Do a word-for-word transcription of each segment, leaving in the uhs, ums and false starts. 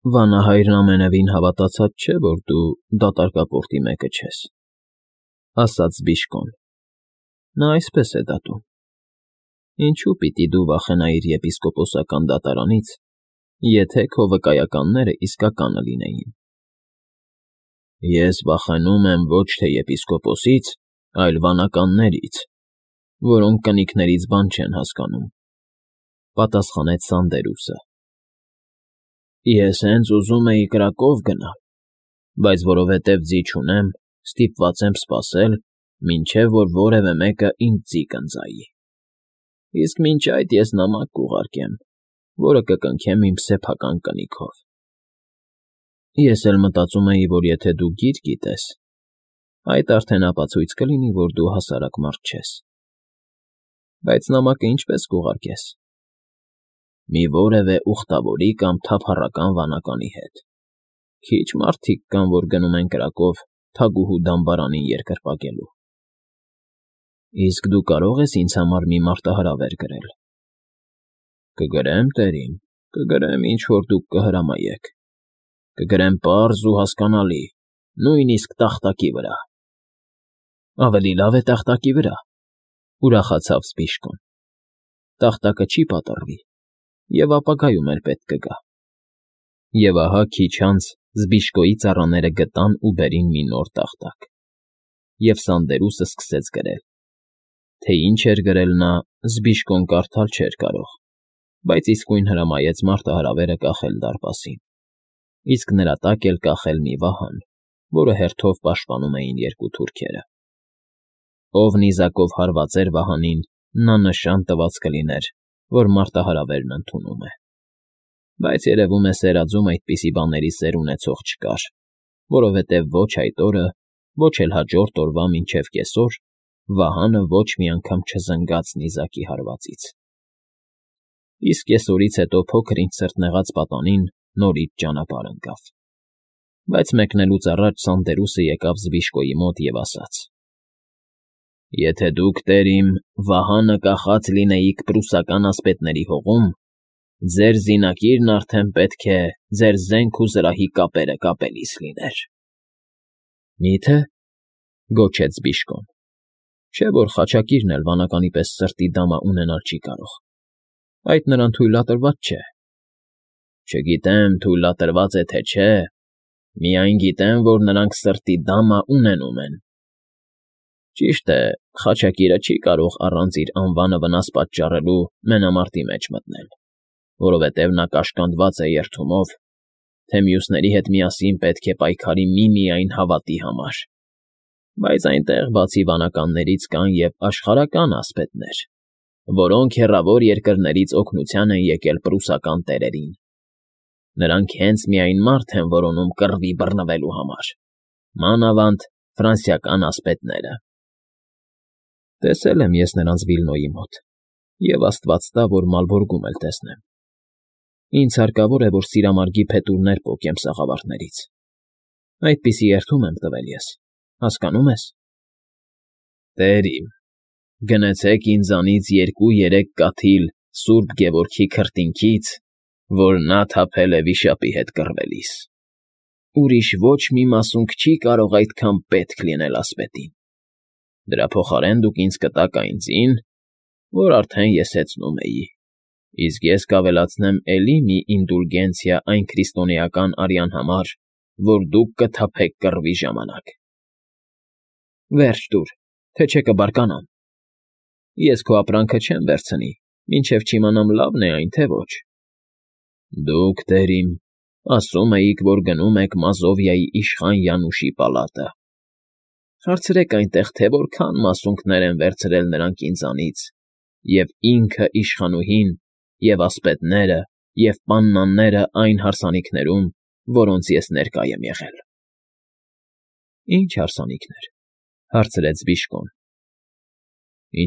Վանահայրն ամենևին հավատացած չէ, որ դու դատարկապորտի մեկը ես,֊ ասաց Բիժկոն։֊ Նա այսպես է դատում. ինչո՞ւ պիտի դու վախենայիր եպիսկոպոսական դատարանից, եթե քո վկայականներն իսկականը լինեին։ ֊ Ես վախենում եմ ոչ թե եպիսկոպոսից, այլ վանականներից, որոնք կնիկներից բան չեն հասկանում,֊ պատասխանեց Սանդերուսը։ Ես հենց ուզում էի կրակով գնալ, բայց որովհետև ձի չունեմ, ստիպված եմ սպասել, մինչև որ որևէ մեկը ինձ ձի կընծայի, իսկ մինչ այդ ես նամակ կուղարկեմ, որը կկնքեմ իմ սեփական կնիքով։ Ես էլ մտածում էի, որ եթե դու գիր գիտես, այդ արդեն ապացույց կլինի, որ դու հասարակ մարդ չես։ Բայց նամակը ինչպե՞ս կուղարկես։ Մի որևէ ուխտավորի կամ թափառական վանականի հետ։ Քիչ մարդիկ կան, որ գնում են կրակով թագուհու դամբարանին երկրպագելու։ Իսկ դու կարող ես ինձ համար մի մարտահրավեր գրել։ Կգրեմ, տերին, կգրեմ, ինչ որ դուք կհրամայեք։ Կգրեմ պարզ ու հասկանալի, նույնիսկ տախտակի վրա։ Ավելի լավ է տախտակի վրա,֊ ուրախացավ Բիժկոն։ Տախտակը չի պատռվի և ապագայում էլ պետք կգա։ Եվ ահա քիչ անց Զբիժկոյի ծառաները գտան ու բերին մի նոր տախտակ, և Սանդերուսը սկսեց գրել։ Թե ինչ էր գրել նա, Զբիժկոն կարդալ չէր կարող, բայց իսկույն հրամայեց մարտահրավերը կախել դարպասին, իսկ նրա տակ էլ կախել մի վահան, որը հերթով պաշտպանում էին երկու թուրքերը։ Ով նիզակով հարված էր վահանին, նա նշան տված կլիներ, որ մարտահրավերն ընդունում է։ Բայց երևում է սերadzում այդպիսի բաների սեր ունեցող չկար, որովհետև ոչ այդ օրը, ոչ էլ հաջորդ օրվա մինչև կեսօր վահանը ոչ մի անգամ չզնգաց նիզակի հարվածից։ Իսկ կեսօրից հետո փոքր-ինչ սրտնեղած պատանին նորից ճանապարհ ընկավ։ Բայց մեկնելուց առաջ Սանդերուսը եկավ Զբիժկոյի մոտ և ասաց. Եթե դուք, տեր իմ, վահանը կախած լինեիք պրուսական ասպետների հողում, ձեր զինակիրն արդեն պետք է ձեր զենք ու զրահի կապերը կապելիս լիներ։ Մի՞թե,֊ գոչեց Բիժկոն,֊ չէ՞ որ խաչակիրն էլ վանականի պես սրտի դամա ունենալ չի կարող, այդ նրան թույլատրված չէ։ Չգիտեմ թույլատրված է, թե չէ, միայն գիտեմ, որ նրանք սրտի դամա ունենում են։ Ճիշտ է, խաչակիրը չի կարող առանց իր անվանը վնաս պատճառելու մենամարտի մեջ մտնել, որովհետև նա կաշկանդված է երդումով, թե մյուսների հետ միասին պետք է պայքարի միմիայն հավատի համար։ Բայց այնտեղ բացի վանականներից կան և աշխարհական ասպետներ, որոնք հեռավոր երկրներից օգնության են եկել պրուսական տերերին։ Նրանք հենց միայն մարդ են որոնում կռվի բռնվելու համար, մանավանդ ֆրանսիական ասպետները։ Տեսել եմ ես նրանց Վիլնոյի մոտ, և աստված տա, որ Մալբորգում էլ տեսնեմ։ Ինձ հարկավոր է, որ սիրամարգի փետուրներ պոկեմ սաղավարտներից։ Այդպիսի երդում եմ տվել ես, հասկանո՞ւմ ես։ Տեր իմ, գնեցեք ինձանից երկու֊երեք կաթիլ Սուրբ Գևորգի քրտինքից, որ նա թափել է վիշապի հետ կռվելիս։ Ուրիշ ոչ մի մասունք չի կարող այդքան պետք լինել ասպետին։ Դրա փոխարեն դուք ինձ կտաք այն ձին, որ արդեն ես հեծնում էի, իսկ ես կավելացնեմ էլի մի ինդուլգենցիա այն քրիստոնեական արյան համար, որ դուք կթափեք կռվի ժամանակ։ Վերջ տուր, թե չէ կբարկանամ։ Ես քո ապրանքը չեմ վերցնի, մինչև չիմանամ լավն է այն, թե ոչ։ Դուք, տեր իմ, ասում էիք, որ գնում եք Մազովիայի իշխան Յանուշի պալատը։ Հարցրեք այնտեղ, թե որքան մասունքներ են վերցրել նրանք ինձանից, և ինքը իշխանուհին, և ասպետները, և պաննաները այն հարսանիքներում, որոնց ես ներկա եմ եղել։ Ի՞նչ հարսանիքներ,֊ հարցրեց Բիժկոն։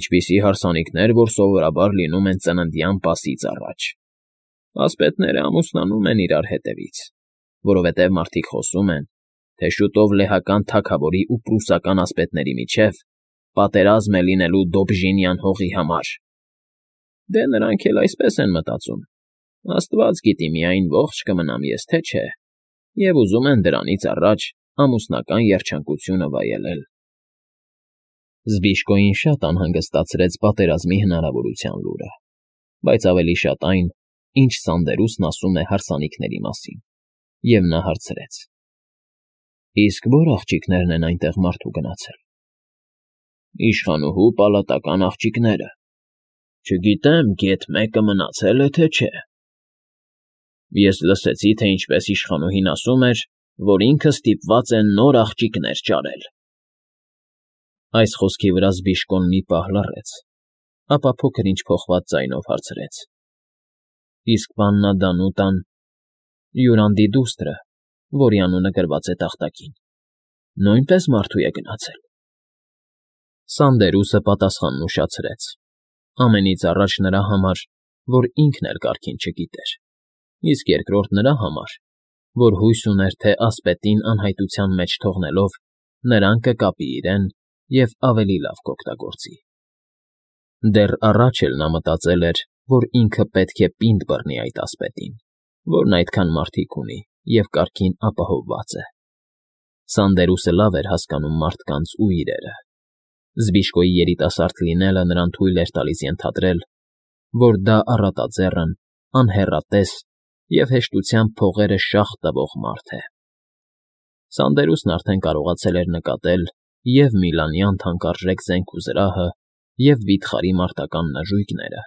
Ինչպիսի հարսանիքներ, որ սովորաբար լինում են ծննդյան պասից առաջ։ Ասպետները ամուսնանում են իրար հետևից, որովհետև մարդիկ խոսում են, թե շուտով լեհական թագավորի ու պրուսական ասպետների միջև պատերազմ է լինելու Դոբժինյան հողի համար։ Դե նրանք էլ այսպես են մտածում, Աստված գիտի միայն ողջ կմնամ ես, թե չէ, և ուզում են դրանից առաջ ամուսնական երջանկությունը վայելել։ Զբիշկոյին շատ անհանգստացրեց պատերազմի հնարավորության լուրը, բայց ավելի շատ այն, ինչ Սանդերուսն ասում է հարսանիքների մասին, և նա հարցրեց. Իսկ ո՞ր աղջիկներն են այնտեղ մարդու գնացել։ Իշխանուհու պալատական աղջիկները։ Չգիտեմ, գեթ մեկը մնացել է, թե չէ։ Ես լսեցի, թե ինչպես իշխանուհին ասում էր, որ ինքը ստիպված է նոր աղջիկներ ճարել։ Այս խոսքի վրա Զբիշկոն մի պահ լռեց, ապա փոքր-ինչ փոխված ձայնով հարցրեց. Իսկ պաննա Դանուտան, Յուրանդի դուստրը, որի անունը գրված է տախտակին, նույնպես մարդու է գնացել։ Սանդերուսը պատասխանն ուշացրեց, ամենից առաջ նրա համար, որ ինքն էլ կարգին չգիտեր, իսկ երկրորդ նրա համար, որ հույս ուներ, թե ասպետին անհայտության մեջ թողնելով, նրան կկապի իրեն և ավելի լավ կօգտագործի։ Դեռ առաջ էլ նա մտածել էր, որ ինքը պետք է պինդ բռնի այդ ասպետին, որն այդքան մարդիկ ունի և կարգին ապահովված է։ Սանդերուսը լավ էր հասկանում մարդկանց ու իրերը։ Զբիշկոյի երիտասարդ լինելը նրան թույլ էր տալիս ենթադրել, որ դա առատաձեռն, անհեռատես և հեշտությամբ փողերը շաղ տվող մարդ է։ Սանդերուսն արդեն կարողացել էր նկատել և Միլանյան թանկարժեք զենք ու զրահը, և վիթխարի մարտական նժույգները,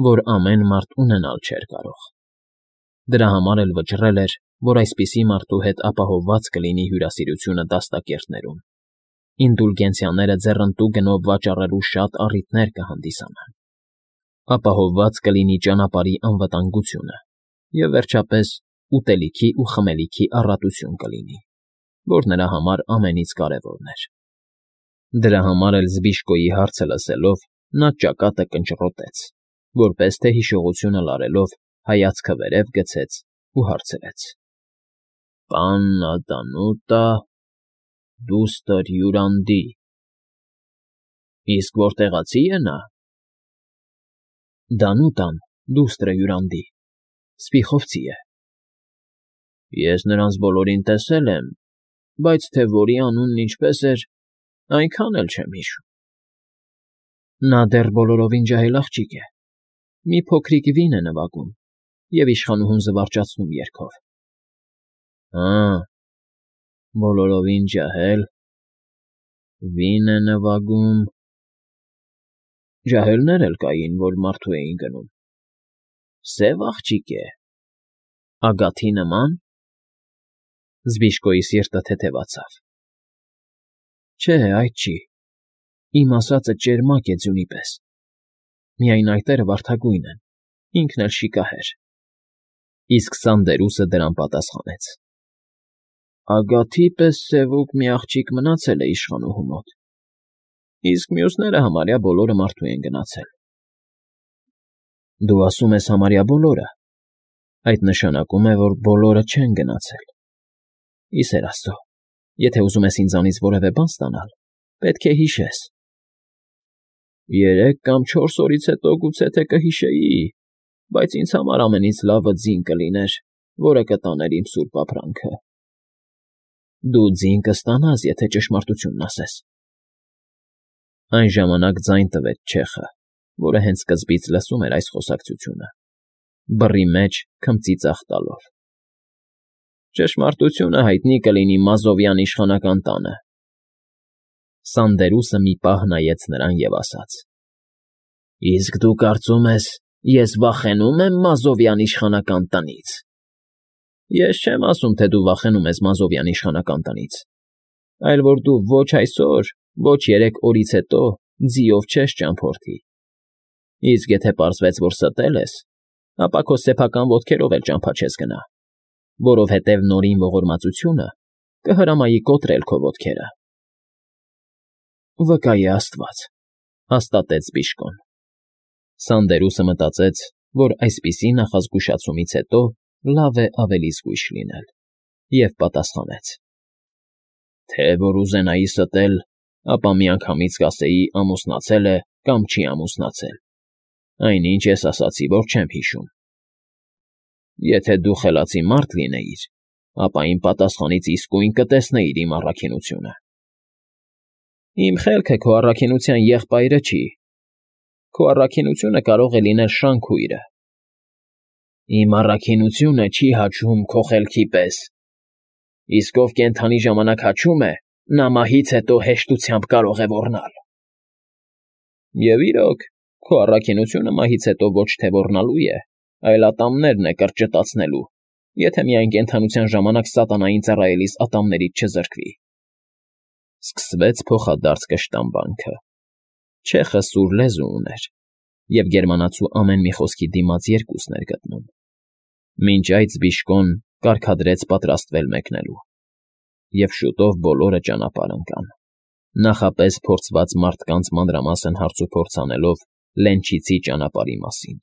որ ամեն մարդ ունենալ չէր կարող։ Դրա համար էլ վճռել էր, որ այսպիսի մարդու հետ ապահովված կլինի հյուրասիրությունը դաստակերտներում։ Ինդուլգենցիաները ձեռնտու գնով վաճառելու շատ առիթներ կհանդիսանան։ Ապահովված կլինի ճանապարհի անվտանգությունը և, վերջապես, ուտելիքի ու խմելիքի առատություն կլինի, որ նրա համար ամենից կարևորն էր։ Դրա համար էլ Զբիշկոյի հարցը լսելով, նա ճակատը կնճռոտեց, որպես թե հիշողությունը լարելով հայացքը վերև գցեց ու հարցրեց. Պաննա Դանուտա, դուստր Յուրանդի։ Իսկ որտեղացի է նա։ Դանուտան, դուստրը Յուրանդի, Սպիխովցի է։ Ես նրանց բոլորին տեսել եմ, բայց թե որի անունն ինչպես էր, այնքան էլ չեմ հիշում։ Նա դեռ բոլորովին ջահել աղջիկ է, մի փոքրիկ վին է նվագում և իշխանուհուն զվարճացնում երգով։ Հա, բոլորովին ջահել, վին է նվագում։ Ջահելներ էլ կային, որ մարդու էին գնում։ Սև աղջիկ է, ագաթի նման։ Զբիշկոյի սիրտը թեթևացավ։ Չէ, այդ չի, իմ ասածը ճերմակ է ձյունի պես, միայն այտերը վարդագույն են, ինքն էլ շիկահեր։ Իսկ Սանդերուսը դրան պատասխանեց. Ագաթի պես սևուկ մի աղջիկ մնացել է իշխանուհու մոտ, իսկ մյուսները համարյա բոլորը մարդու են գնացել։ Դու ասում ես համարյա բոլորը, այդ նշանակում է, որ բոլորը չեն գնացել։ Ի սեր Աստծո, եթե ուզում ես ինձանից որևէ բան ստանալ, պետք է հիշես։ Երեք կամ չորս օրից հետո գուցե թե կհիշեի, բայց ինձ համար ամենից լավը ձին կլիներ, որը կտաներ իմ սուրբ ապրանքը։ Դու ձին կստանաս, եթե ճշմարտությունն ասես։ Այն ժամանակ ձայն տվեց չեխը, որը հենց սկզբից լսում էր այս խոսակցությունը, բռի մեջ քմծի ծախ տալով։ Ճշմարտությունը հայտնի կլինի Մազովյան իշխանական տանը։ Սանդերուսը մի պահ նայեց նրան և ասաց. Իսկ դու կարծում ես, ես վախենո՞ւմ եմ Մազովյան իշխանական տնից։ Ես չեմ ասում, թե դու վախենում ես Մազովյան իշխանական տնից, այլ որ դու ոչ այսօր, ոչ երեք օրից հետո ձիով չես ճամփորդի։ Իսկ եթե պարզվեց, որ ստել ես, ապա քո սեփական ոտքերով էլ ճամփա չես գնա, որովհետև նորին ողորմածությունը կհրամայի կոտրել քո ոտքերը։ Վկա է Աստված, հաստատեց Զբիշկոն։ Սանդերուսը մտածեց, որ այսպիսի նախազգուշացումից հետո լավ է ավելի զգույշ լինել, և պատասխանեց. Թե որ ուզենայի ստել, ապա միանգամից կասեի ամուսնացել է կամ չի ամուսնացել։ Այնինչ ես ասացի, որ չեմ հիշում։ Եթե դու խելացի մարդ լինեիր, ապա իմ պատասխանից իսկույն կտեսնեիր իմ առաքինությունը։ Իմ խելքը քո առաքինության եղբայրը չի։ Քո առաքինությունը կարող է լինել շանքույրը։ Իմ առաքինությունը չի հաչում քո խելքի պես, իսկ ով կենդանի ժամանակ հաչում է, նա մահից հետո հեշտությամբ կարող է ոռնալ։ Եվ իրոք, քո առաքինությունը մահից հետո ոչ թե ոռնալու է, այլ ատամներն է կրճտացնելու, եթե միայն կենդանության ժամանակ սատանային ծառայելիս ատամներից չզրկվի։ Սկսվեց փոխադարձ կշտամբանքը։ Չեխը սուր լեզու ուներ, և գերմանացու ամեն մի խոսքի դիմաց երկուսն էր գտնում։ Մինչ այդ Զբիշկոն կարգադրեց պատրաստվել մեկնելու, և շուտով բոլորը ճանապարհ ընկան, նախապես փորձված մարդկանց մանրամասն հարցուփորձ անելով Լենչիցի ճանապարհի մասին։